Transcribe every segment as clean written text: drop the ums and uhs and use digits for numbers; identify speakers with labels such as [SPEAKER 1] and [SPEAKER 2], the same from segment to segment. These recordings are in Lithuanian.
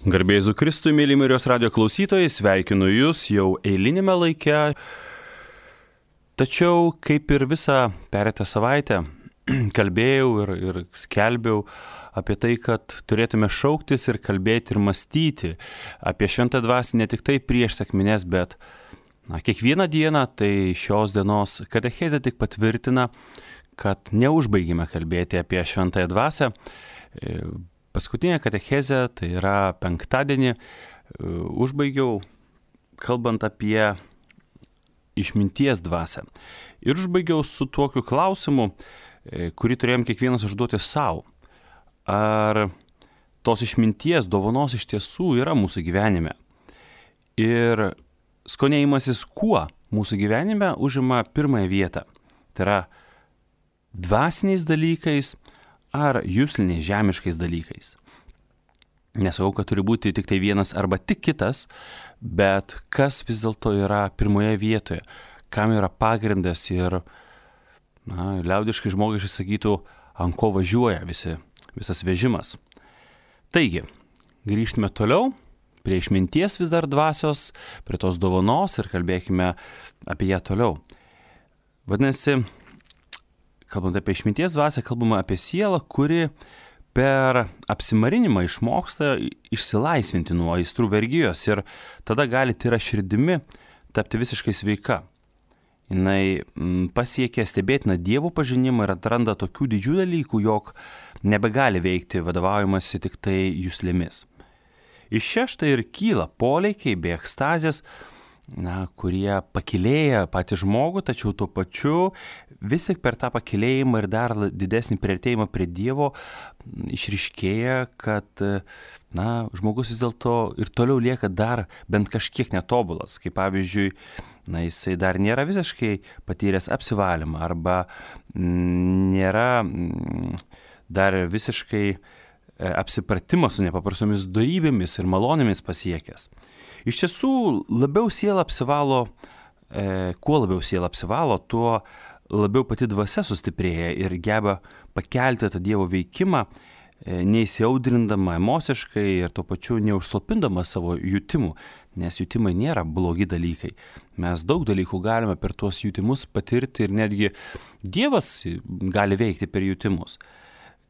[SPEAKER 1] Garbė Jėzui Kristui, mėly Marijos radijo klausytojai, sveikinu Jūs jau eilinėme laike. Tačiau, kaip ir visą pereitą savaitę, kalbėjau ir skelbiau apie tai, kad turėtume šauktis ir kalbėti ir mąstyti apie šventą dvasią ne tik tai prieš sekmines, bet kiekvieną dieną. Tai šios dienos katechezė tik patvirtina, kad neužbaigime kalbėti apie šventąją dvasią. Paskutinė katechezė, tai yra penktadienį, užbaigiau kalbant apie išminties dvasią. Ir užbaigiau su tokiu klausimu, kurį turėjom kiekvienas užduoti savo. Ar tos išminties dovanos iš tiesų yra mūsų gyvenime? Ir skonėjimasis kuo mūsų gyvenime užima pirmąją vietą? Tai yra dvasiniais dalykais ar jusliniais žemiškais dalykais. Nesakau, kad turi būti tik tai vienas arba tik kitas, bet kas vis dėlto yra pirmoje vietoje, kam yra pagrindas ir, liaudiškai žmogiškai sakytų, ant ko važiuoja visas vežimas. Taigi, grįžtame toliau prie išminties vis dar dvasios, prie tos dovanos ir kalbėkime apie ją toliau. Vadinasi, kalbant apie išminties dvasią, kalbama apie sielą, kuri per apsimarinimą išmoksta išsilaisvinti nuo aistrų vergijos ir tada gali tyra širdimi tapti visiškai sveika. Jinai pasiekia stebėtiną Dievo pažinimą ir atranda tokių didžių dalykų, jog nebegali veikti vadovaujamasi tik tai juslėmis. Iš čia štai ir kyla polėkiai bei ekstazės, kurie pakilėja patį žmogų, tačiau tuo pačiu vis tik per tą pakilėjimą ir dar didesnį priartėjimą prie Dievo išryškėja, kad žmogus vis dėlto ir toliau lieka dar bent kažkiek netobulas, kaip pavyzdžiui, jisai dar nėra visiškai patyręs apsivalymą arba nėra dar visiškai apsipratimo su nepaprastomis dorybėmis ir malonėmis pasiekęs. Iš tiesų, kuo labiau siela apsivalo, tuo labiau pati dvasia sustiprėja ir geba pakelti tą Dievo veikimą, neįsiaudrindama emociškai ir tuo pačiu neužslopindama savo jutimų, nes jutimai nėra blogi dalykai. Mes daug dalykų galime per tuos jutimus patirti ir netgi Dievas gali veikti per jutimus.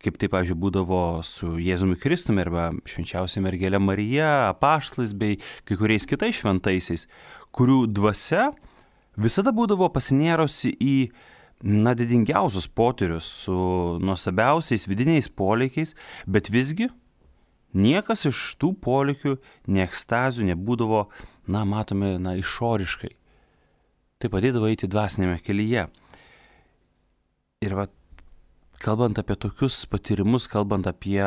[SPEAKER 1] Kaip tai, pavyzdžiui, būdavo su Jėzumi Kristumi arba švenčiausia mergelė Marija, apaštalais bei kai kuriais kitais šventaisiais, kurių dvasia visada būdavo pasinėrusi į didingiausius potyrius su nuostabiausiais vidiniais polėkiais, bet visgi niekas iš tų polėkių, nei ekstazių nebūdavo, matomi, išoriškai. Tai padėdavo eiti dvasinėme kelyje. Ir kalbant apie tokius patyrimus, kalbant apie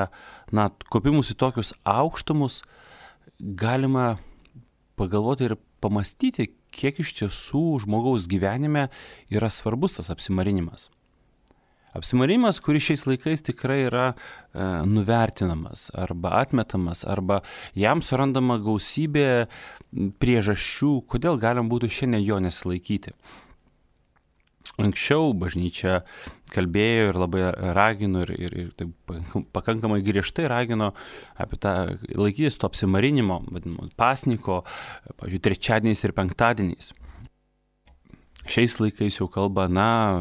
[SPEAKER 1] kopimus į tokius aukštumus, galima pagalvoti ir pamastyti, kiek iš tiesų žmogaus gyvenime yra svarbus tas apsimarinimas. Apsimarinimas, kuris šiais laikais tikrai yra nuvertinamas arba atmetamas, arba jam surandama gausybė priežasčių, kodėl galim būtų šiandien jo nesilaikyti. Anksčiau bažnyčia kalbėjo ir labai ragino ir tai pakankamai griežtai ragino apie tą laikytis to apsimarinimo, vadinamo pasniko, pavyzdžiui, trečiadieniais ir penktadieniais. Šiais laikais jau kalba,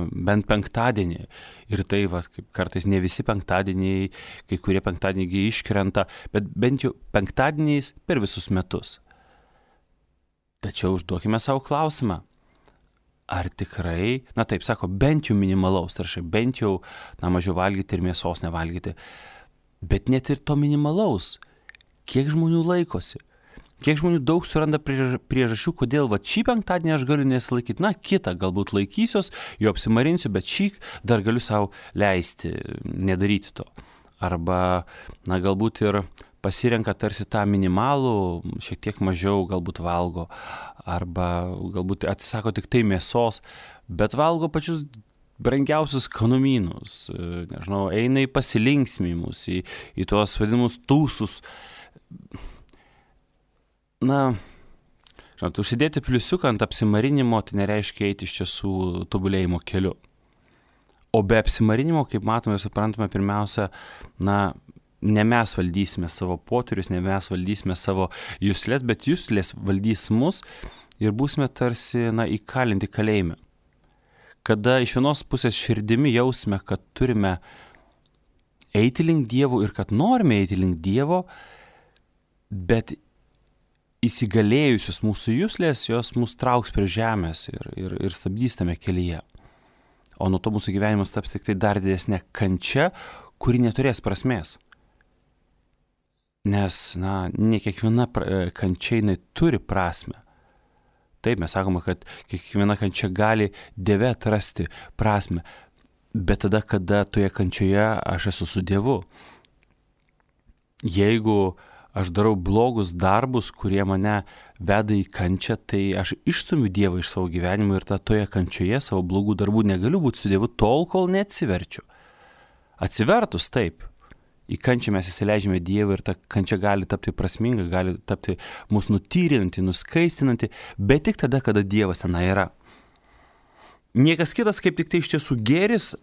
[SPEAKER 1] bent penktadienį. Ir tai, kaip kartais ne visi penktadieniai, kai kurie penktadieniai iškrenta, bet bent jau penktadieniais per visus metus. Tačiau užduokime savo klausimą. Ar tikrai, taip sako, bent jau minimalaus, taršai, bent jau mažiau valgyti ir mėsos nevalgyti. Bet net ir to minimalaus, kiek žmonių laikosi? Kiek žmonių daug suranda priežasčių, kodėl šį penktadienį aš galiu nesilaikyti, kitą galbūt laikysiuos, jo apsimarinsiu, bet šį dar galiu savo leisti, nedaryti to. Arba, galbūt ir pasirenka tarsi tą minimalų, šiek tiek mažiau galbūt valgo, arba galbūt atsisako tik tai mėsos, bet valgo pačius brangiausius skanumynus, eina į pasilinksmimus, į tuos vadinamus tūsus. Užsidėti pliusiuką ant apsimarinimo, tai nereiškia eiti iš tiesų tobulėjimo keliu. O be apsimarinimo, kaip matome ir suprantame, pirmiausia, ne mes valdysime savo potyrius, ne mes valdysime savo juslės, bet juslės valdys mus ir būsime tarsi, įkalinti kalėjime. Kada iš vienos pusės širdimi jausime, kad turime eiti link Dievo ir kad norime eiti link Dievo, bet įsigalėjusios mūsų juslės, jos mus trauks prie žemės ir stabdys tame kelyje. O nuo to mūsų gyvenimas taps tik tai dar didesnė kančia, kuri neturės prasmės. Nes, ne kiekviena kančia turi prasmę. Taip, mes sakome, kad kiekviena kančia gali Dieve atrasti prasmę, bet tada, kada toje kančioje aš esu su Dievu. Jeigu aš darau blogus darbus, kurie mane veda į kančią, tai aš išstumiu Dievą iš savo gyvenimo ir toje kančioje savo blogų darbų negaliu būti su Dievu tol, kol neatsiverčiu. Atsivertus taip, į kančią mes įsileidžiame Dievą ir ta kančia gali tapti prasminga, gali tapti mus nutyrinanti, nuskaistinanti, bet tik tada, kada Dievas ten yra. Niekas kitas, kaip tik tai iš tiesų gėris,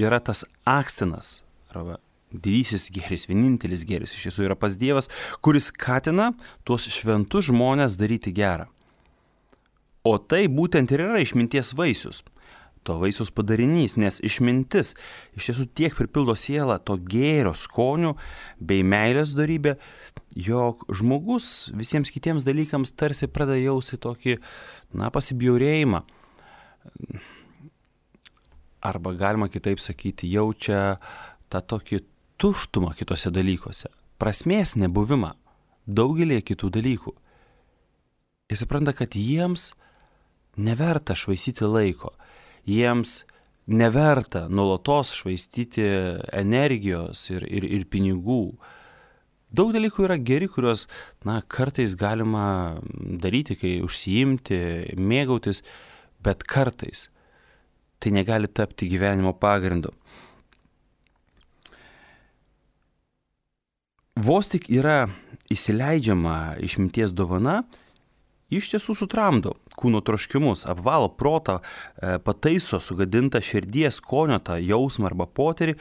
[SPEAKER 1] yra tas akstinas, arba didysis gėris, vienintelis gėris iš tiesų yra pas Dievas, kuris skatina tuos šventus žmones daryti gerą. O tai būtent ir yra išminties vaisius. To vaisiaus padarinys, nes išmintis iš tiesų tiek pripildo sielą to gėrio skonių bei meilės dorybė, jog žmogus visiems kitiems dalykams tarsi pradeda jausti tokį, pasibjaurėjimą. Arba galima kitaip sakyti, jaučia tą tokį tuštumą kitose dalykuose, prasmės nebuvimą daugelį kitų dalykų. Jis supranta, kad jiems neverta švaistyti laiko. Jiems neverta nuolatos švaistyti energijos ir pinigų. Daug dalykų yra geri, kuriuos kartais galima daryti, kai užsiimti, mėgautis, bet kartais tai negali tapti gyvenimo pagrindu. Vos tik yra įsileidžiama išminties dovana, iš tiesų sutramdo kūno troškimus, apvalo protą, pataiso sugadintą širdies skonio tą jausmą arba potyrį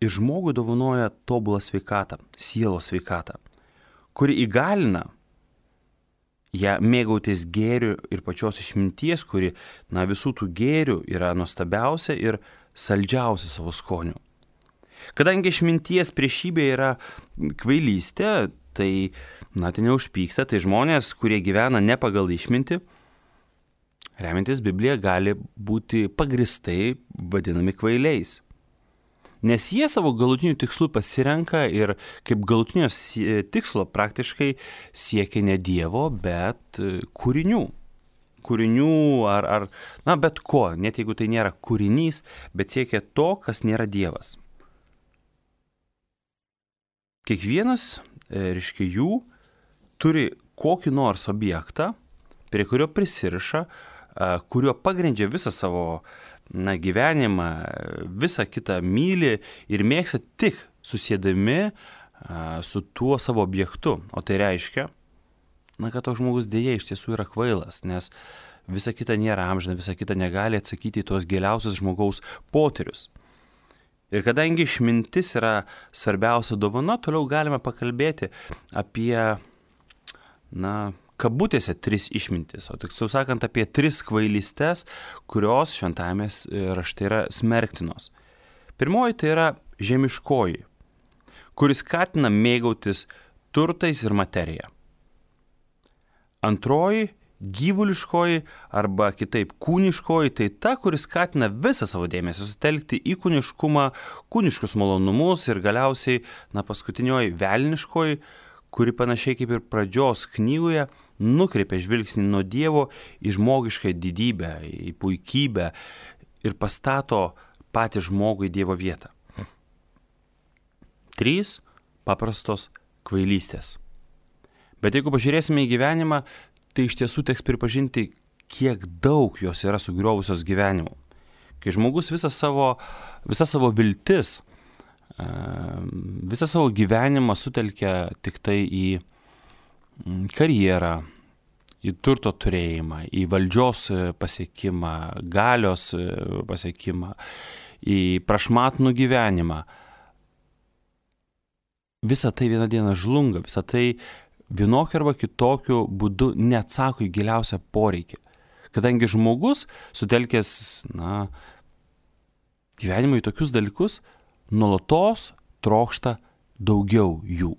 [SPEAKER 1] ir žmogui dovanoja tobulą sveikatą, sielos sveikatą, kuri įgalina ją mėgautis gėriu ir pačios išminties, kuri visų tų gėrių yra nuostabiausia ir saldžiausia savo skoniu. Kadangi išminties priešybė yra kvailystė, tai neužpyksta, tai žmonės, kurie gyvena ne pagal išmintį, remiantis Bibliją, gali būti pagristai vadinami kvailiais. Nes jie savo galutinių tikslų pasirenka ir kaip galutinio tikslo praktiškai siekia ne Dievo, bet kūrinių. Kūrinių ar bet ko, net jeigu tai nėra kūrinys, bet siekia to, kas nėra Dievas. Kiekvienas jų turi kokį nors objektą, prie kurio prisiriša, kurio pagrindžia visą savo gyvenimą, visą kitą myli ir mėgsta tik susėdami su tuo savo objektu. O tai reiškia, kad toks žmogus dėja iš tiesų yra kvailas, nes visa kita nėra amžina, visa kita negali atsakyti į tuos giliausius žmogaus potyrius. Ir kadangi išmintis yra svarbiausia dovana, toliau galime pakalbėti apie, kabutėse 3 išmintis, o tiksliau sakant apie 3 kvailystes, kurios šventajame rašte yra smerktinos. Pirmoji tai yra žemiškoji, kuris skatina mėgautis turtais ir materija. Antroji gyvuliškoji arba kitaip kūniškoji, tai ta, kuris skatina visą savo dėmesį sutelkti į kūniškumą, kūniškus malonumus ir galiausiai, paskutinioji velniškoji, kuri panašiai kaip ir pradžios knygoje nukreipia žvilgsnį nuo Dievo į žmogišką didybę, į puikybę ir pastato patį žmogų į Dievo vietą. 3 paprastos kvailystės. Bet jeigu pažiūrėsime į gyvenimą, tai iš tiesų teks pripažinti, kiek daug jos yra sugriovusios gyvenimu. Kai žmogus visą savo viltis, visą savo gyvenimą sutelkia tik tai į karjerą, į turto turėjimą, į valdžios pasiekimą, galios pasiekimą, į prašmatnų gyvenimą, visa tai vieną dieną žlunga, visa tai vienokiu arba kitokiu būdu neatsako į giliausią poreikį. Kadangi žmogus, sutelkęs, gyvenimą į tokius dalykus, nuolatos trokšta daugiau jų.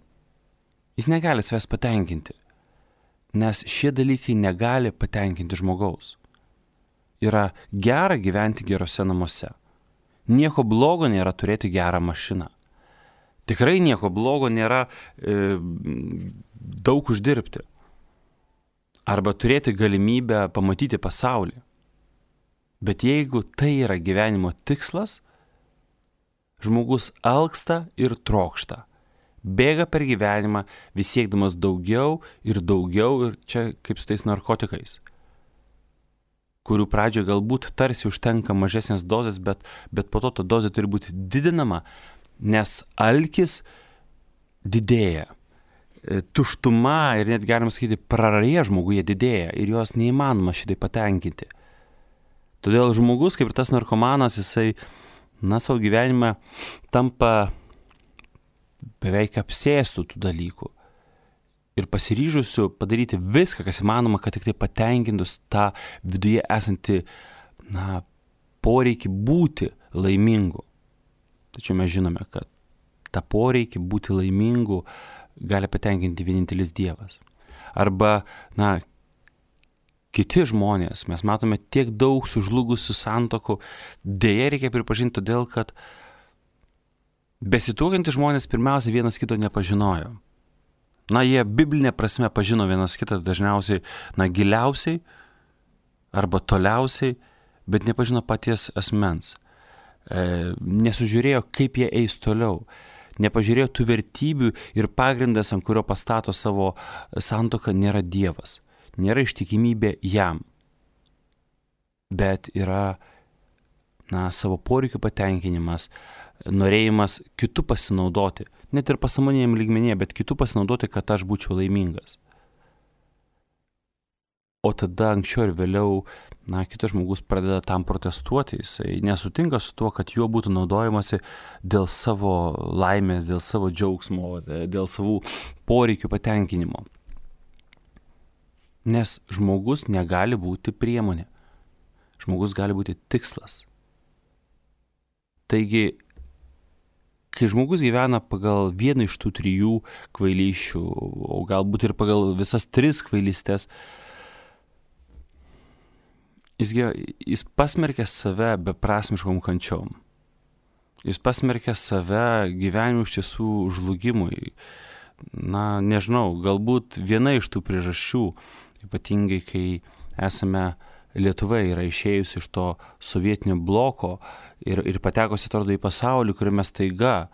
[SPEAKER 1] Jis negali savęs patenkinti, nes šie dalykai negali patenkinti žmogaus. Yra gera gyventi gerose namuose. Nieko blogo nėra turėti gerą mašiną. Tikrai nieko blogo nėra daug uždirbti. Arba turėti galimybę pamatyti pasaulį. Bet jeigu tai yra gyvenimo tikslas, žmogus alksta ir trokšta. Bėga per gyvenimą, vis siekdamas daugiau ir čia kaip su tais narkotikais, kurių pradžioje galbūt tarsi užtenka mažesnės dozės, bet po to ta dozė turi būti didinama, nes alkis didėja. Tuštuma ir net galima sakyti praraja žmoguje didėja ir jos neįmanoma šitai patenkinti. Todėl žmogus, kaip ir tas narkomanas, jisai savo gyvenime tampa beveik apsėstų tų dalykų ir pasiryžusiu padaryti viską, kas įmanoma, kad tik tai patenkintus tą viduje esantį poreikį būti laimingu. Tačiau mes žinome, kad tą poreikį būti laimingu gali patenkinti vienintelis Dievas. Arba, kiti žmonės, mes matome tiek daug sužlugusių santuokų, deja reikia pripažinti todėl, kad besituokiantys žmonės pirmiausia vienas kito nepažinojo. Jie biblinė prasme pažino vienas kitą dažniausiai, giliausiai arba toliausiai, bet nepažino paties asmens. Nesužiūrėjo, kaip jie eis toliau. Nepažiūrėjo tų vertybių ir pagrindas, ant kurio pastato savo santuoką, nėra Dievas. Nėra ištikimybė jam. Bet yra savo poreikių patenkinimas, norėjimas kitų pasinaudoti. Net ir pasąmoniniam lygmenyje, bet kitų pasinaudoti, kad aš būčiau laimingas. O tada anksčiau ir vėliau, kitas žmogus pradeda tam protestuoti, jisai nesutinka su tuo, kad juo būtų naudojamasi dėl savo laimės, dėl savo džiaugsmo, dėl savų poreikių patenkinimo. Nes žmogus negali būti priemonė. Žmogus gali būti tikslas. Taigi, kai žmogus gyvena pagal vieną iš tų 3 kvailysčių, o galbūt ir pagal visas 3 kvailystės, jis pasmerkia save beprasmiškom kančiom. Jis pasmerkia save gyvenimui iš tiesų žlugimui. Nežinau, galbūt viena iš tų priežasčių, ypatingai kai esame Lietuva yra išėjusi iš to sovietinio bloko ir patekusi, atrodo, į pasaulį, kuriame staiga,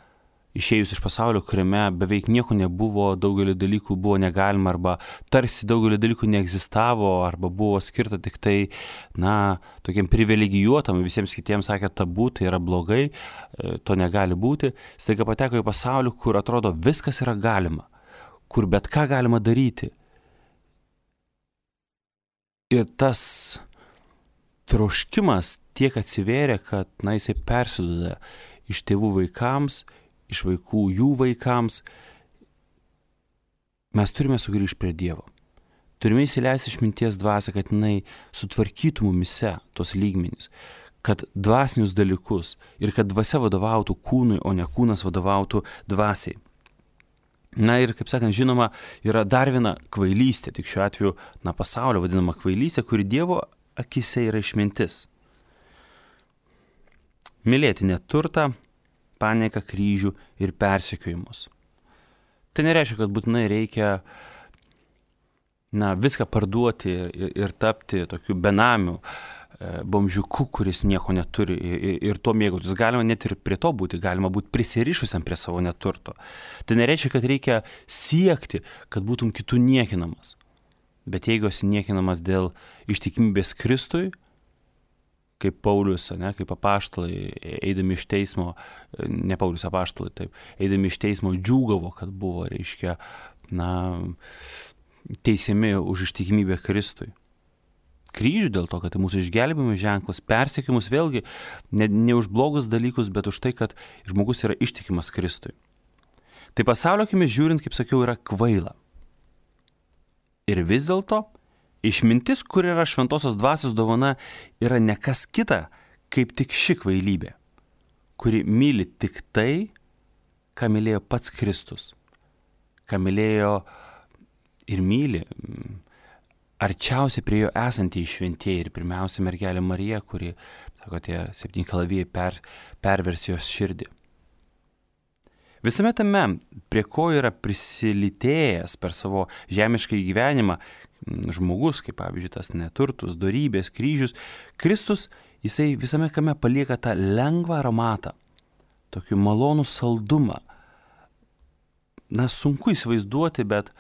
[SPEAKER 1] išėjus iš pasaulio, kuriame beveik nieko nebuvo, daugelį dalykų buvo negalima, arba tarsi daugelį dalykų neegzistavo, arba buvo skirta tik tai, tokiam privilegijuotam, visiems kitiems sakė tabu, tai yra blogai, to negali būti. Staiga pateko į pasaulį, kur atrodo viskas yra galima, kur bet ką galima daryti. Ir tas troškimas tiek atsivėrė, kad jisai persiduoda iš tėvų vaikams, iš vaikų jų vaikams. Mes turime sugrįžti prie Dievo. Turime įsileisti išminties dvasią, kad jinai sutvarkytų mumise tos lygmenys, kad dvasinius dalykus ir kad dvasia vadovautų kūnui, o ne kūnas vadovautų dvasiai. Ir, kaip sakant, žinoma, yra dar viena kvailystė, tik šiuo atveju, pasaulio vadinama kvailystė, kuri Dievo akise yra išmintis. Mylėti neturtą, panieką, kryžių ir persekiojimus. Tai nereiškia, kad būtinai reikia viską parduoti ir tapti tokiu benamiu, bomžiuku, kuris nieko neturi ir tuo mėgautis. Galima net ir prie to būti, galima būti prisirišusiam prie savo neturto. Tai nereiškia, kad reikia siekti, kad būtum kitų niekinamas. Bet jeigu esi niekinamas dėl ištikimybės Kristui, kaip Paulius, kaip apaštalai, eidami iš teismo, ne Paulius apaštalai, taip, eidami iš teismo džiūgavo, kad buvo, teisiami už ištikimybę Kristui. Kryžių dėl to, kad tai mūsų išgelbėjimo ženklas, persekiojimus vėlgi ne už blogus dalykus, bet už tai, kad žmogus yra ištikimas Kristui. Tai pasaulio akimis žiūrint, kaip sakiau, yra kvaila. Ir vis dėlto, išmintis, kur yra šventosios dvasios dovana, yra ne kas kita, kaip tik ši kvailybė, kuri myli tik tai, ką mylėjo pats Kristus, ką mylėjo ir myli arčiausiai prie jo esantieji šventieji ir pirmiausia mergelė Marija, kuri, sako, tie 7 kalavijai pervers jos širdį. Visame tame, prie ko yra prisilitėjęs per savo žemišką gyvenimą žmogus, kaip pavyzdžiui tas neturtus, dorybės, kryžius, Kristus, jisai visame kame palieka tą lengvą aromatą, tokį malonų saldumą. Na, sunku įsivaizduoti, bet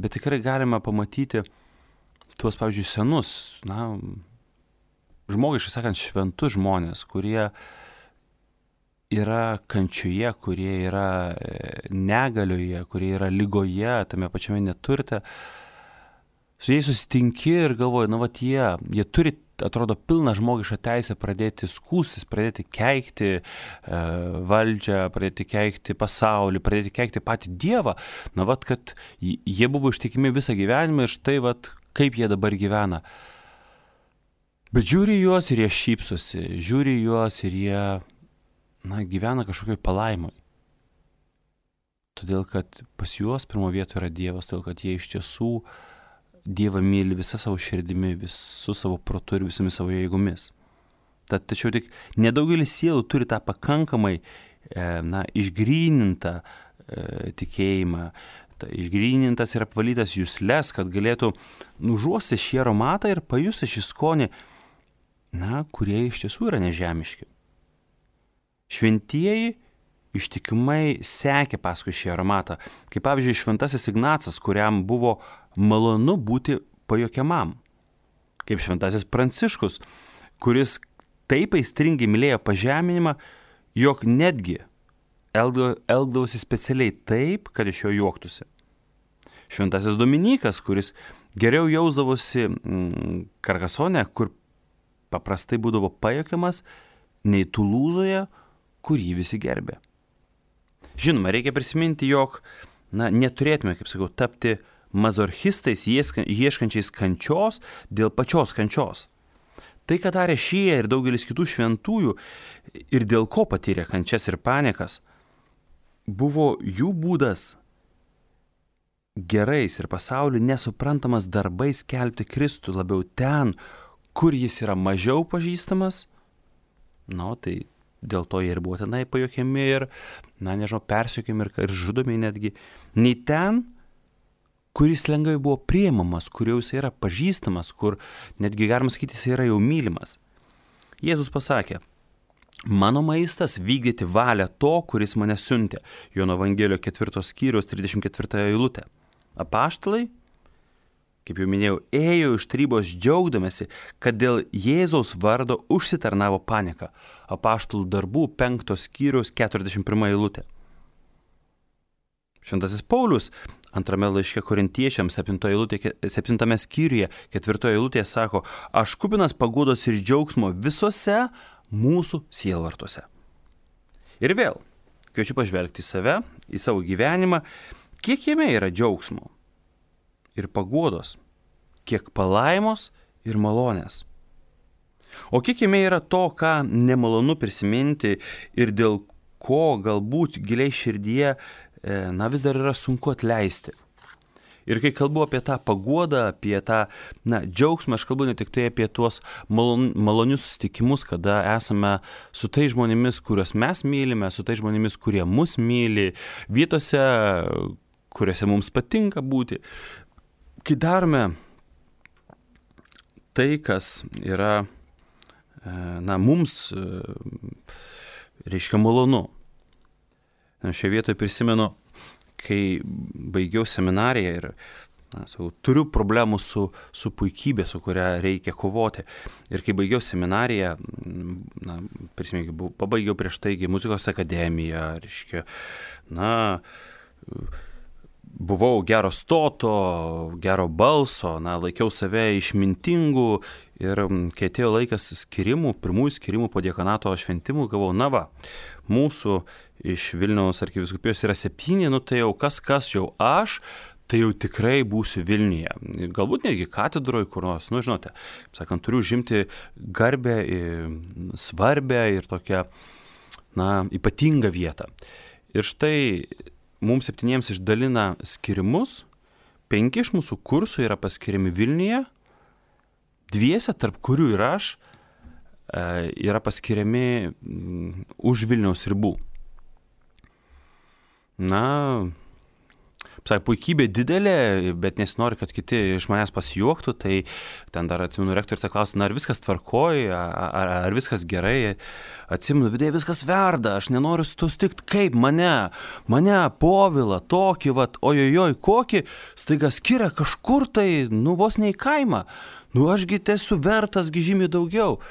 [SPEAKER 1] tikrai galima pamatyti tuos, pavyzdžiui, senus, na, žmogiškai sakant, šventus žmonės, kurie yra kančioje, kurie yra negalioje, kurie yra ligoje, tame pačiame neturte. Su jais susitinki ir galvoji, na, vat jie turi, atrodo, pilną žmogišką teisę pradėti skųstis, pradėti keikti valdžią, pradėti keikti pasaulį, pradėti keikti patį Dievą. Na, vat, kad jie buvo ištikimi visą gyvenimą ir štai, vat, kaip jie dabar gyvena. Bet žiūri juos ir jie šypsosi, žiūri juos ir jie, na, gyvena kažkokioj palaimoj. Todėl, kad pas juos pirmo vietoje yra Dievas, todėl, kad jie iš tiesų Dievą myli visą savo širdimi, visų savo protu ir visomis savo jėgomis. Tačiau tik nedaugelis sielų turi tą pakankamai išgrynintą tikėjimą, išgrynintas ir apvalytas jusles, kad galėtų nužuosti šį aromatą ir pajusti šį skonį, kurie iš tiesų yra nežemiški. Šventieji ištikimai sekė paskui šį aromatą, kaip pavyzdžiui šventasis Ignacas, kuriam buvo malonu būti pajuokiamam, kaip šventasis Pranciškus, kuris taip aistringai mylėjo pažeminimą, jog netgi elgdavosi specialiai taip, kad iš jo juoktųsi. Šventasis Dominikas, kuris geriau jausdavosi Karkasone, kur paprastai būdavo pajuokiamas, nei Tulūzoje, kur jį visi gerbė. Žinoma, reikia prisiminti, jog neturėtume, kaip sakau, tapti mazorchistais ieškančiais kančios dėl pačios kančios. Tai, ką darė šie ir daugelis kitų šventųjų ir dėl ko patyrė kančias ir paniekas, buvo jų būdas gerais ir pasauliu nesuprantamas darbais skelbti Kristų labiau ten, kur jis yra mažiau pažįstamas. Tai dėl to jie ir buvo tenai pajuokiami ir, persekiojami ir žudomi netgi. Nei ten, kuris lengvai buvo priimamas, kur jau jis yra pažįstamas, kur netgi galima sakyti, jis yra jau mylimas. Jėzus pasakė, mano maistas vykdyti valią to, kuris mane siuntė. Jono Evangelijos 4 skyriaus 34 eilutė. Apaštalai, kaip jau minėjau, ėjo iš tarybos džiaugdamasi, kad dėl Jėzaus vardo užsitarnavo panieką. Apaštalų darbų 5 skyriaus 41 eilutė. Šventasis Paulius 2 laiške Korintiečiams 7 skyriuje 4 eilutėje sako, aš kupinas paguodos ir džiaugsmo visose mūsų sielvartuose. Ir vėl, kviečiu pažvelgti į save, į savo gyvenimą, kiek jame yra džiaugsmo ir paguodos, kiek palaimos ir malonės. O kiek jame yra to, ką nemalonu prisiminti ir dėl ko galbūt giliai širdyje vis dar yra sunku atleisti. Ir kai kalbu apie tą paguodą, apie tą džiaugsmą, aš kalbu ne tik tai apie tuos malonius susitikimus, kada esame su tais žmonėmis, kuriuos mes mylime, su tais žmonėmis, kurie mus myli, vietose, kuriuose mums patinka būti. Kai darome tai, kas yra mums reiškia malonu. Šioje vietoje prisimenu, kai baigiau seminariją ir turiu problemų su puikybė, su kuria reikia kovoti. Ir kai baigiau seminariją, pabaigiau prieš taigi muzikos akademiją, reiškia, buvau gero stoto, gero balso, laikiau save išmintingu ir kai atėjo laikas skirimų, pirmųjų skirimų po diakonato šventimų, gavau, mūsų iš Vilniaus arkivyskupijos yra 7, tai jau kas jau aš, tai jau tikrai būsiu Vilniuje. Galbūt netgi katedroje kur nors, žinote, sakant, turiu užimti garbę, svarbę ir tokią, ypatingą vietą. Ir štai mums 7 išdalina skirimus, 5 iš mūsų kursų yra paskiriami Vilniuje, 2, tarp kurių ir aš, yra paskiriami už Vilniaus ribų. Puikybė didelė, bet nesinori, kad kiti iš manęs pasijuoktų, tai ten dar atsimenu rektorius klausė, ar viskas tvarkoj, ar viskas gerai. Atsimenu, viduje viskas verda, aš nenoriu su to sutikti, kaip mane, Povilą, tokį, ojojoj, kokį, staiga skiria kažkur tai, vos ne į kaimą. Ašgi esu vertas žymiai daugiau.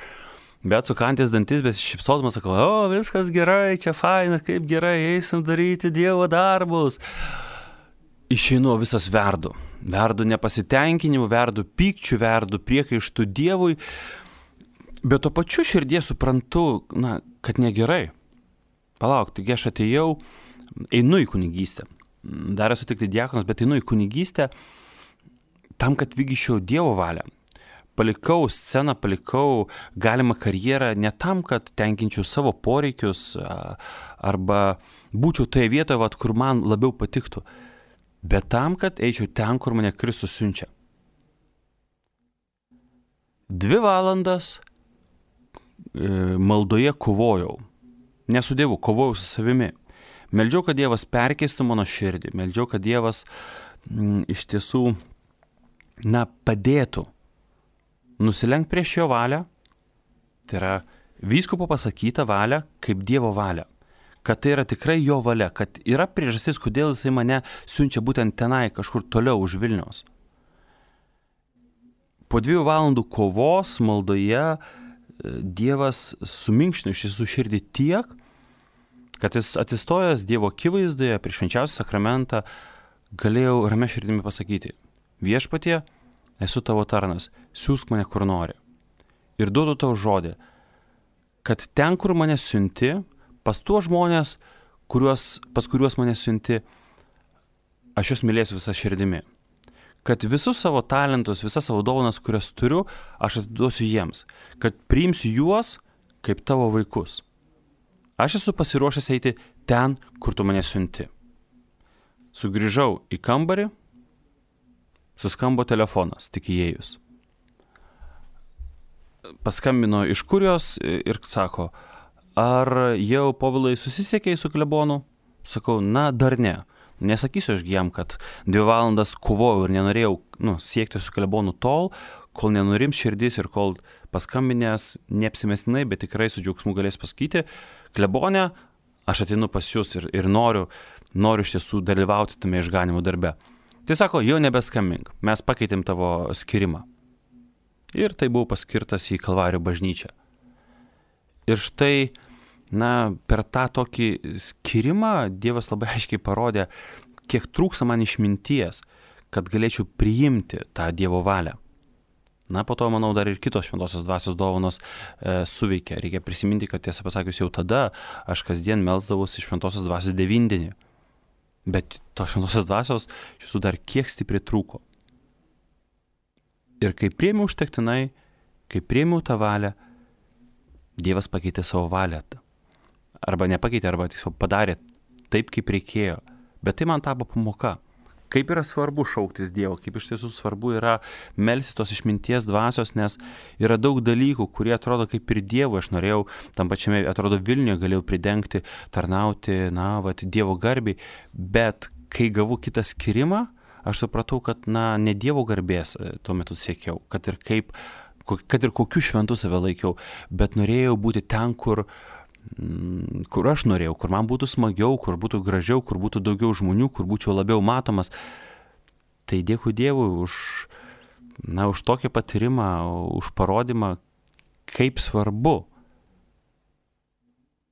[SPEAKER 1] Bet sukandęs dantis, besišypsodamas, sakau, viskas gerai, čia faina, kaip gerai, eisim daryti Dievo darbus. Išeinu, visas verdu nepasitenkinimu, verdu pykčiu, verdu priekaištų Dievui, bet to pačiu širdie suprantu, kad negerai. Palauk, taigi aš atėjau, einu į kunigystę. Dar esu tik diakonas, bet einu į kunigystę tam, kad vykdyčiau Dievo valią. Palikau sceną, palikau galimą karjerą ne tam, kad tenkinčiau savo poreikius arba būčiau toje vietoje, kur man labiau patiktų, bet tam, kad eičiau ten, kur mane Kristus siunčia. 2 valandas maldoje kovojau. Ne su Dievu, kovojau su savimi. Meldžiau, kad Dievas perkeistų mano širdį. Meldžiau, kad Dievas iš tiesų padėtų nusilenkt prieš jo valią, tai yra vyskupo pasakyta valia kaip Dievo valia, kad tai yra tikrai jo valia, kad yra priežastis, kodėl jisai mane siunčia būtent tenai, kažkur toliau už Vilniaus. Po 2 valandų kovos maldoje Dievas suminkštino iš tiesų širdį tiek, kad jis atsistojęs Dievo akivaizdoje prieš švenčiausią sakramentą galėjau ramia širdimi pasakyti: Viešpatie, esu tavo tarnas, siųsk mane kur nori. Ir duodu tau žodį, kad ten, kur mane siunti, pas tuos žmonės, pas kuriuos mane siunti, aš juos mylėsiu visą širdimi. Kad visus savo talentus, visas savo dovanas, kurias turiu, aš atiduosiu jiems. Kad priimsiu juos kaip tavo vaikus. Aš esu pasiruošęs eiti ten, kur tu mane siunti. Sugrįžau į kambarį, suskambo telefonas, tik įėjus. Paskambino iš kurijos ir sako: ar jau, Povilai, susisiekei su klebonu? Sakau, dar ne. Nesakysiu aš jam, kad 2 valandas kovojau ir nenorėjau siekti su klebonu tol, kol nenurims širdis ir kol paskambinęs neapsimestinai, bet tikrai su džiaugsmu galės pasakyti: klebone, aš ateinu pas jūs ir noriu iš tiesų dalyvauti tame išganimo darbe. Tai sako, jau nebeskambink, mes pakeitėm tavo skirimą. Ir tai buvau paskirtas į Kalvarijų bažnyčią. Ir štai, per tą tokį skirimą Dievas labai aiškiai parodė, kiek trūksta man išminties, kad galėčiau priimti tą Dievo valią. Po to, manau, dar ir kitos šventosios dvasios dovanos suveikia. Reikia prisiminti, kad tiesą pasakius jau tada aš kasdien melsdavausi šventosios dvasios 9. Bet tos šventosios dvasios šių dar kiek stipriai trūko. Ir kai priėmiau užtektinai, kai priėmiau tą valią, Dievas pakeitė savo valią. Arba nepakeitė, arba tiesiog padarė taip, kaip reikėjo. Bet tai man tapo pamoka. Kaip yra svarbu šauktis Dievo, kaip iš tiesų svarbu yra melstis tos išminties dvasios, nes yra daug dalykų, kurie atrodo kaip ir Dievo. Aš norėjau tam pačiame, atrodo, Vilniuje galėjau pridengti, tarnauti, Dievo garbiai, bet kai gavau kitą skirimą, aš supratau, kad ne Dievo garbės tuo metu siekiau, kad ir kokiu šventu save laikiau, bet norėjau būti ten, kur aš norėjau, kur man būtų smagiau, kur būtų gražiau, kur būtų daugiau žmonių, kur būčiau labiau matomas. Tai dėkui Dievui už tokį patyrimą, už parodymą, kaip svarbu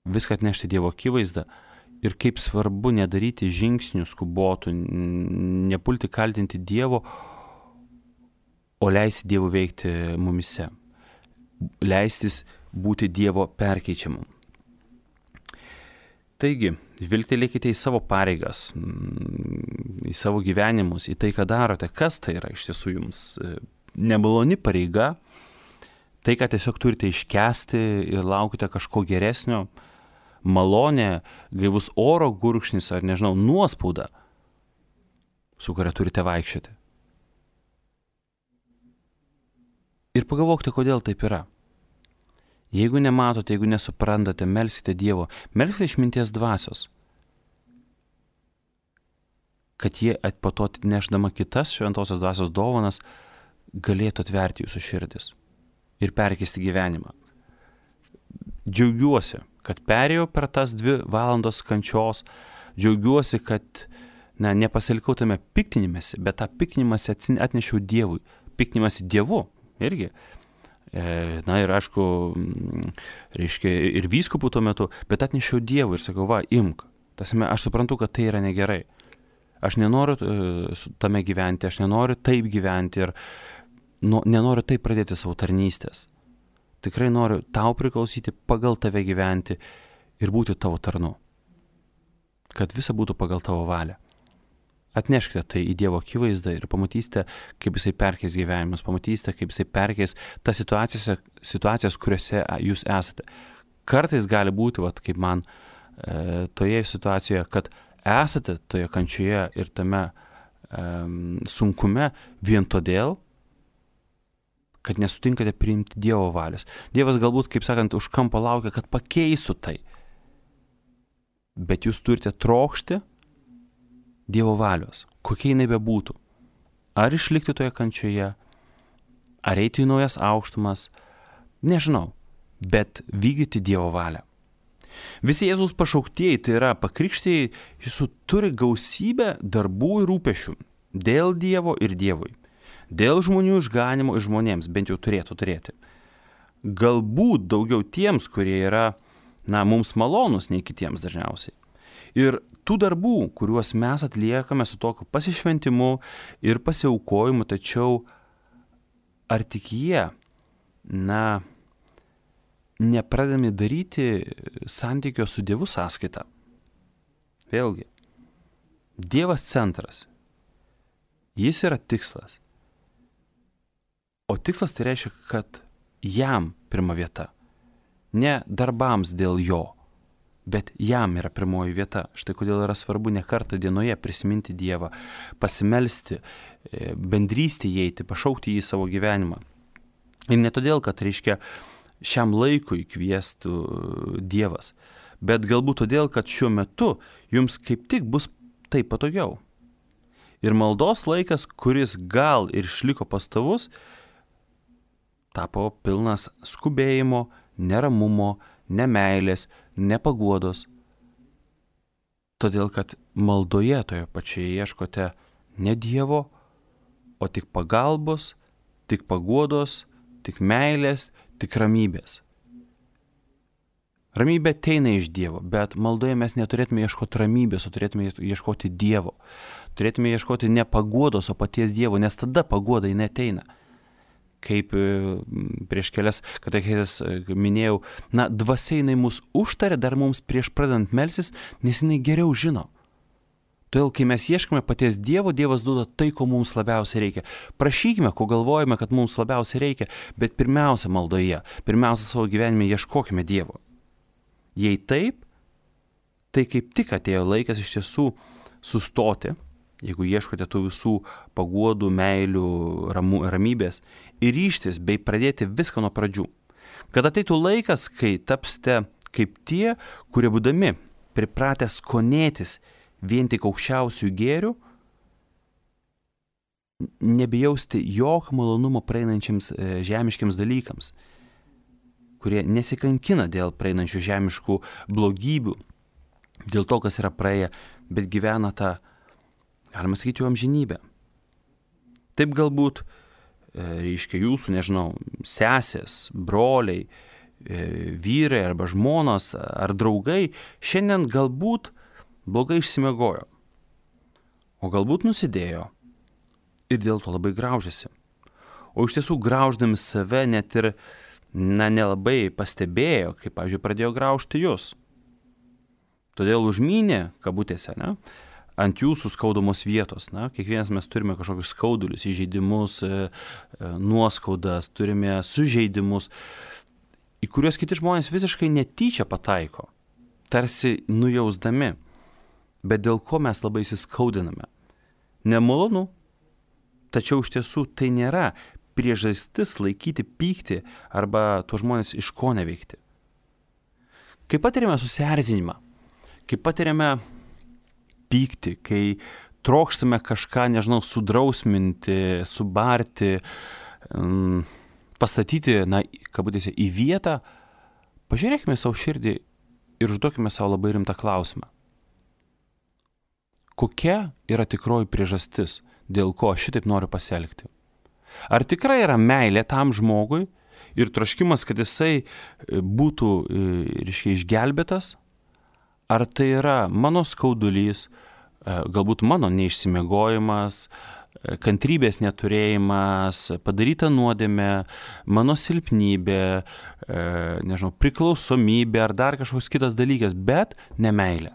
[SPEAKER 1] viską atnešti Dievo akivaizdą ir kaip svarbu nedaryti žingsnių skubotų, nepulti kaltinti Dievo, o leisti Dievu veikti mumise, leistis būti Dievo perkeičiamam. Taigi, žvilgtelėkite į savo pareigas, į savo gyvenimus, į tai, ką darote, kas tai yra iš tiesų jums nemaloni pareiga, tai, ką tiesiog turite iškęsti ir laukite kažko geresnio, malonė, gaivus oro gurkšnis ar nežinau, nuospauda, su kuria turite vaikščioti. Ir pagalvokite, kodėl taip yra. Jeigu nematote, jeigu nesuprantate, melskite Dievo, melskite išminties dvasios, kad jie po to nešdama kitas šventosios dvasios dovanas galėtų atverti jūsų širdis ir perkeisti gyvenimą. Džiaugiuosi, kad perėjau per tas 2 valandos kančios, džiaugiuosi, kad nepasilikau tame piktinimėsi, bet tą piktinimąsi atnešiau Dievui, piktinimąsi Dievu irgi. Ir aišku, reiškia ir vyskupų tuo metu, bet atnešiau Dievui ir sakau, imk. Aš suprantu, kad tai yra negerai. Aš nenoriu tame gyventi, aš nenoriu taip gyventi ir nenoriu taip pradėti savo tarnystės. Tikrai noriu tau priklausyti, pagal tave gyventi ir būti tavo tarnu. Kad visa būtų pagal tavo valią. Atneškite tai į Dievo akivaizdą ir pamatysite, kaip jisai perkeis gyvenimus, pamatysite, kaip jisai perkeis tas situacijas, kuriuose jūs esate. Kartais gali būti, kaip man toje situacijoje, kad esate toje kančioje ir tame sunkume vien todėl, kad nesutinkate priimti Dievo valios. Dievas galbūt, kaip sakant, už kampo laukia, kad pakeistų tai. Bet jūs turite trokšti Dievo valios, kokia jinai bebūtų. Ar išlikti toje kančioje, ar eiti į naujas aukštumas, nežinau, bet vykdyti Dievo valią. Visi Jėzaus pašauktieji, tai yra pakrikštieji, jis turi gausybę darbų ir rūpešių dėl Dievo ir Dievui. Dėl žmonių išganimo ir žmonėms bent jau turėtų turėti. Galbūt daugiau tiems, kurie yra, mums malonus nei kitiems dažniausiai. Ir tų darbų, kuriuos mes atliekame su tokiu pasišventimu ir pasiaukojimu, tačiau ar tik jie, nepradedami daryti santykio su Dievu sąskaita? Vėlgi, Dievas centras, jis yra tikslas. O tikslas tai reiškia, kad jam pirma vieta, ne darbams dėl jo, bet jam yra pirmoji vieta. Štai kodėl yra svarbu ne kartą dienoje prisiminti Dievą, pasimelsti, bendrystį įeiti, pašaukti jį į savo gyvenimą. Ir ne todėl, kad reiškia šiam laikui kviestų Dievas, bet galbūt todėl, kad šiuo metu jums kaip tik bus taip patogiau. Ir maldos laikas, kuris gal ir išliko pastovus, tapo pilnas skubėjimo, neramumo, nemeilės, nepaguodos. Todėl, kad maldoje toje pačioje ieškote ne Dievo, o tik pagalbos, tik paguodos, tik meilės, tik ramybės. Ramybė ateina iš Dievo, bet maldoje mes neturėtume ieškoti ramybės, o turėtume ieškoti Dievo. Turėtume ieškoti ne paguodos, o paties Dievo, nes tada paguoda jinai ateina. Kaip prieš kelias katechezes minėjau, dvasia jinai mus užtarė dar mums prieš pradedant melsis, nes jinai geriau žino. Todėl, kai mes ieškome paties Dievo, Dievas duoda tai, ko mums labiausiai reikia. Prašykime, ko galvojame, kad mums labiausiai reikia, bet pirmiausia maldoje, pirmiausia savo gyvenime ieškokime Dievo. Jei taip, tai kaip tik atėjo laikas iš tiesų sustoti, jeigu ieškote tų visų paguodų, meilių, ramybės, ir ryžtis bei pradėti viską nuo pradžių. Kad ateitų laikas, kai tapsite kaip tie, kurie būdami pripratę skonėtis vien tik aukščiausių gėrių, nebijausti jokio malonumo praeinančiams žemiškiams dalykams, kurie nesikankina dėl praeinančių žemiškų blogybių, dėl to, kas yra praėję, bet gyvena tą, galima sakyti, jų amžinybę. Taip galbūt, reiškia jūsų, sesės, broliai, vyrai arba žmonos ar draugai šiandien galbūt blogai išsimiegojo, o galbūt nusidėjo ir dėl to labai graužiasi. O iš tiesų grauždami save net ir nelabai pastebėjo, kaip, pavyzdžiui, pradėjo graužti jūs. Todėl užmynė, kabutėse, ant jūsų skaudomos vietos. Kiekvienas mes turime kažkokius skaudulius, įžeidimus, nuoskaudas, turime sužeidimus, į kuriuos kiti žmonės visiškai netyčia pataiko, tarsi nujausdami, bet dėl ko mes labai įsiskaudiname. Nemalonu, tačiau iš tiesų tai nėra priežastis laikyti pyktį arba tuos žmonės iš ko neveikti. Kai patiriame susierzinimą, kai patiriame pyktį, kai trokštame kažką, sudrausminti, subarti, pastatyti, kabutėse, į vietą, pažiūrėkime savo širdį ir užduokime savo labai rimtą klausimą. Kokia yra tikroji priežastis, dėl ko aš šitaip noriu pasielgti? Ar tikrai yra meilė tam žmogui ir troškimas, kad jisai būtų, išgelbėtas? Ar tai yra mano skaudulys, galbūt mano neišsimiegojimas, kantrybės neturėjimas, padaryta nuodėmė, mano silpnybė, priklausomybė ar dar kažkoks kitas dalykas, bet ne meilė.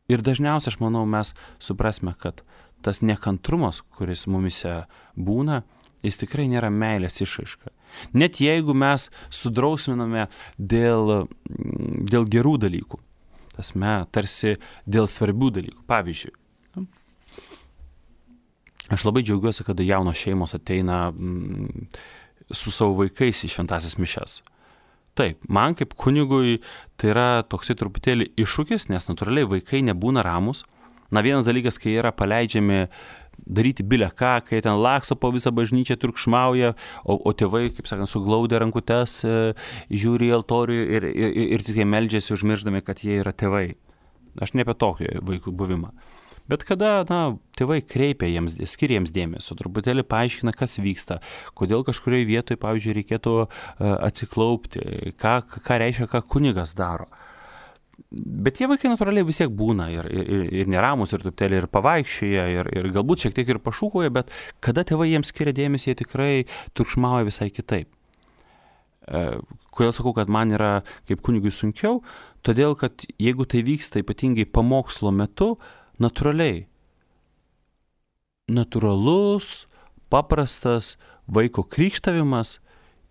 [SPEAKER 1] Ir dažniausiai, aš manau, mes suprasime, kad tas nekantrumas, kuris mumise būna, jis tikrai nėra meilės išraiška. Net jeigu mes sudrausminame dėl gerų dalykų, tarsi dėl svarbių dalykų. Pavyzdžiui, aš labai džiaugiuosi, kada jaunos šeimos ateina su savo vaikais į šventąsias mišias. Taip, man kaip kunigui tai yra toksai truputėlį iššūkis, nes natūraliai vaikai nebūna ramus. Vienas dalykas, kai yra paleidžiami daryti bile ką, kai ten laksto po visą bažnyčią, triukšmauja, o tėvai, kaip sakant, suglaudę rankutes, žiūri į altorių ir tik jie meldžiasi užmirždami, kad jie yra tėvai. Aš ne apie tokį vaikų buvimą. Bet kada, tėvai skiria jiems dėmesio, truputėlį paaiškina, kas vyksta, kodėl kažkurioje vietoje, pavyzdžiui, reikėtų atsiklaupti, ką reiškia, ką kunigas daro. Bet tie vaikai natūraliai vis tiek būna ir neramus, ir truputėlį ir pavaikščioja, ir galbūt šiek tiek ir pašūkoja, bet kada tėvai jiems skiria dėmesį, jie tikrai triukšmauja visai kitaip. Kodėl sakau, kad man yra kaip kunigui sunkiau? Todėl, kad jeigu tai vyksta ypatingai pamokslo metu, natūralus, paprastas vaiko krykštavimas,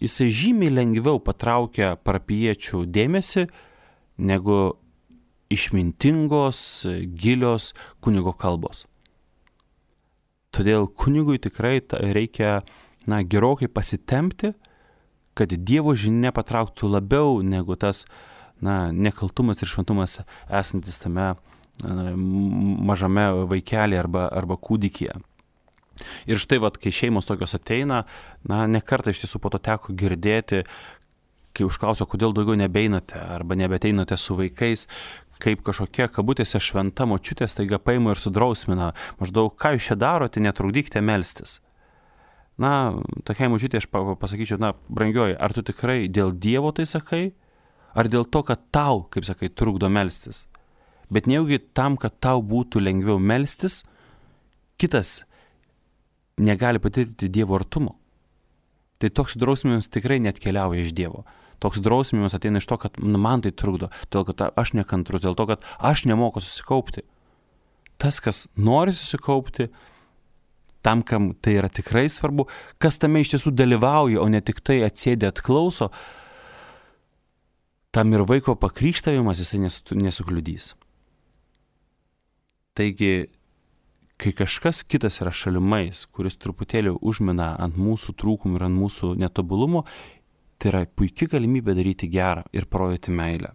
[SPEAKER 1] jisai žymiai lengviau patraukia parapijiečių dėmesį, negu išmintingos, gilios kunigo kalbos. Todėl kunigui tikrai reikia gerokai pasitempti, kad Dievo žinia patrauktų labiau negu tas nekaltumas ir šventumas esantis tame mažame vaikelį arba kūdikyje. Ir štai, kai šeimos tokios ateina, ne kartą iš tiesų po to teko girdėti, kai užklauso, kodėl daugiau nebeinate arba nebeteinate su vaikais, kaip kažkokia kabutėse šventa močiutė staiga paima ir sudrausmina, maždaug, ką jūs čia darote, netrukdykite melstis. Tokiai močiutė aš pasakyčiau, brangioji, ar tu tikrai dėl Dievo tai sakai, ar dėl to, kad tau, kaip sakai, trukdo melstis? Bet nejaugi tam, kad tau būtų lengviau melstis, kitas negali patirti Dievo artumo. Tai toks drausminimas tikrai neatkeliauja iš Dievo. Toks drausminimas ateina iš to, kad man tai trukdo, todėl kad aš nekantrus, dėl to, kad aš nemoku susikaupti. Tas, kas nori susikaupti, tam, kam tai yra tikrai svarbu, kas tame iš tiesų dalyvauja, o ne tik tai atsėdė atklauso, tam ir vaiko pakrikštavimas jisai nesukliudys. Taigi, kai kažkas kitas yra šalimais, kuris truputėlį užmina ant mūsų trūkumų ir ant mūsų netobulumo, tai yra puikia galimybė daryti gerą ir parodyti meilę.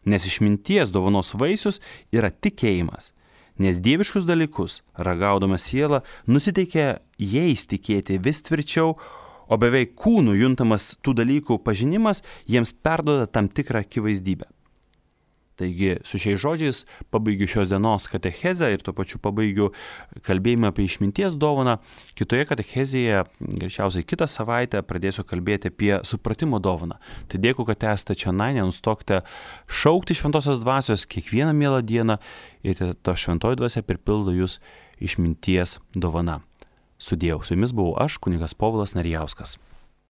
[SPEAKER 1] Nes išminties dovanos vaisius yra tikėjimas, nes dieviškus dalykus, ragaudama siela, nusiteikia jais tikėti vis tvirčiau, o beveik kūnų juntamas tų dalykų pažinimas jiems perduoda tam tikrą akivaizdybę. Taigi su šiais žodžiais pabaigiu šios dienos katechezę ir tuo pačiu pabaigiu kalbėjimą apie išminties dovaną. Kitoje katechezėje, greičiausiai kitą savaitę, pradėsiu kalbėti apie supratimo dovaną. Tai dėkui, kad esate čia, nenustokite šaukti šventosios dvasios kiekvieną mielą dieną ir ta šventoji dvasia pripildo jūs išminties dovana. Sudėjau, su jumis buvau aš, kunigas Povilas Narijauskas.